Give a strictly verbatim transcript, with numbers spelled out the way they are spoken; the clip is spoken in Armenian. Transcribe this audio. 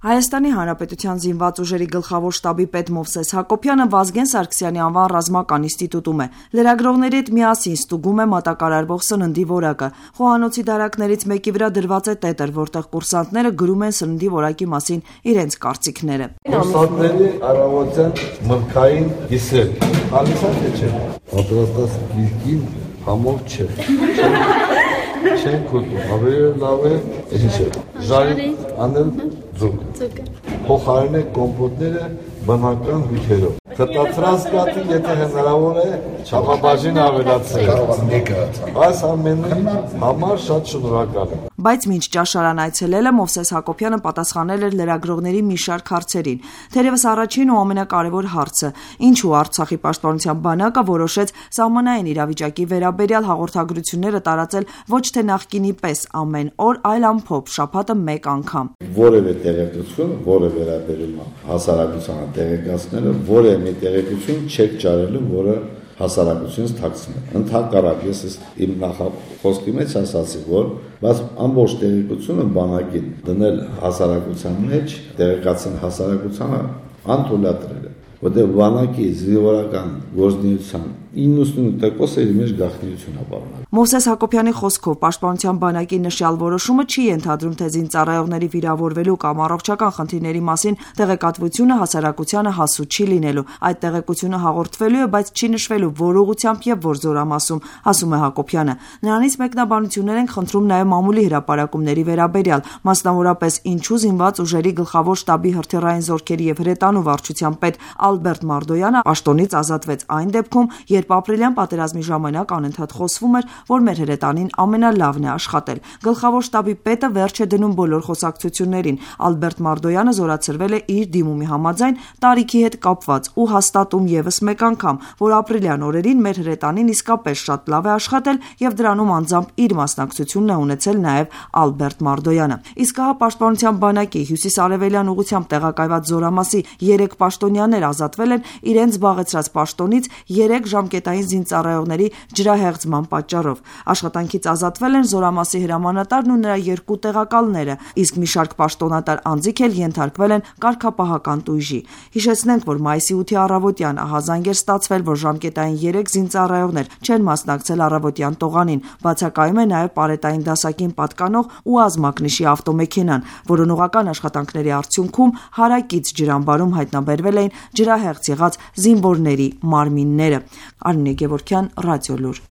Հայաստանի Հանրապետության զինված ուժերի գլխավոր շտաբի պետ Մովսես Հակոբյանը Վազգեն Սարգսյանի անվան ռազմական ինստիտուտում է։ Լրագրողների հետ միասին ստուգում է մատակարարվող սննդի որակը։ Խոհանոցի դարակներից մեկի վրա դրված է տետր, որտեղ կուրսանտները գրում են սննդի որակի մասին իրենց կարծիքները։ Կուրսանտների առավոտյան մրգային հիսեր, հալիսա թե չէ, պատրաստած գիրքին համով չէ, չեն կոտում, ավելի լավ է, ինչ է, ժարի անել ձուկ, փոխարեն է կոմպոտները բնական հյութերով։ Խտացրած կատի, եթե հնարավոր է, չափաբաժին ավելացրել։ Այս ամենի համար շատ շնորհակալ եմ։ Բայց մինչ ճաշարան այցելելը Մովսես Հակոբյանը պատասխանել էր լրագրողների մի շարք հարցերին։ Թերևս առաջին ու ամենակարևոր հարցը՝ ինչու Արցախի պաշտպանության բանակը որոշեց սահմանային իրավիճակի վերաբերյալ հաղորդագրությունները տարածել ոչ թե նախկինի պես ամեն օր, այլ ամփոփ, շաբաթը մեկ անգամ։ Որևէ տեղեկություն, որը վերաբերում է հասարակությանը տեղեկացնելը, որևէ մի տեղեկություն չեք ճարելու, որը հասարակությունից թաքցնել։ Ընդհակառակ ես իմ նախախոսքի մեջ ասացի, որ բայց ամբողջ տեղեկությունը բանակին դնել հասարակության մեջ, տեղեկացնել հասարակությանը անթույլատրել է, որտեղ բանակի զինվորական գործունեության իննսունութ տոկոսը իր մեջ գաղտնիություն է պարունակում։ Մովսես Հակոբյանի խոսքով պաշտպանության բանակի նշյալ որոշումը չի ենթադրում, թե զինծառայողների վիրավորվելու կամ առողջական խնդիրների մասին տեղեկատվությունը հասարակությանը հասու չի լինելու։ Այդ տեղեկությունը հաղորդվելու է, բայց չի նշվելու որ ուղղությամբ եւ որ զորամասում, ասում է Հակոբյանը։ Նրանից մեկնաբանություններ են խնդրում նաեւ մամուլի հրապարակումների վերաբերյալ, մասնավորապես ինչու զինված ուժերի գլխավոր շտաբի հրթիռային զորքերի եւ հրետանու վարչության պետ Ալբերտ Մարդոյանը պաշտոնից ազատվեց այն դեպքում, երբ ապրիլյան պատերազմի ժամանակ անընդհատ խոսվում էր, որ մեր հրետանին ամենալավն է աշխատել։ Գլխավոր շտաբի պետը վերջ է դնում բոլոր խոսակցություններին։ Ալբերտ Մարդոյանը զորացրվել է իր դիմումի համաձայն տարիքի հետ կապված ու հաստատում եւս մեկ անգամ, որ ապրիլյան օրերին մեր հրետանին իսկապես շատ լավ է աշխատել եւ դրանում անձամբ իր մասնակցությունն է ունեցել նաեւ Ալբերտ Մարդոյանը։ Իսկ հա պաշտպանության բանակի հյուսիս-արևելյան ուղղությամբ տեղակայված զորամասի երեք պաշտոնյաներ ազատվել են իրենց զբաղեցրած պաշտոնից երեք ժամկետային զինծառայողների ջրահեղձման պատճառով։ Աշխատանքից ազատվել են զորամասի հրամանատարն ու նրա երկու տեղակալները, իսկ մի շարք պաշտոնատար անձիկ էլ ենթարկվել են կարգապահական տույժի։ Հիշեցնենք, որ մայիսի ութի առավոտյան ահազանգ էր ստացվել, որ ժամկետային երեք զինծառայողներ չեն մասնակցել առավոտյան տողանին։ Բացակայում է նաև պարետային դասակին պատկանող ու ազմակնիշի ավտոմեքենան, որոնողական աշխատանքների արդյունքում հարակից ջրամբարում հայտնաբերվել էին ջրահեղձ եղած զինվորների մարմինները։ Արմինե Գևորգյան, Ռադիոլուր։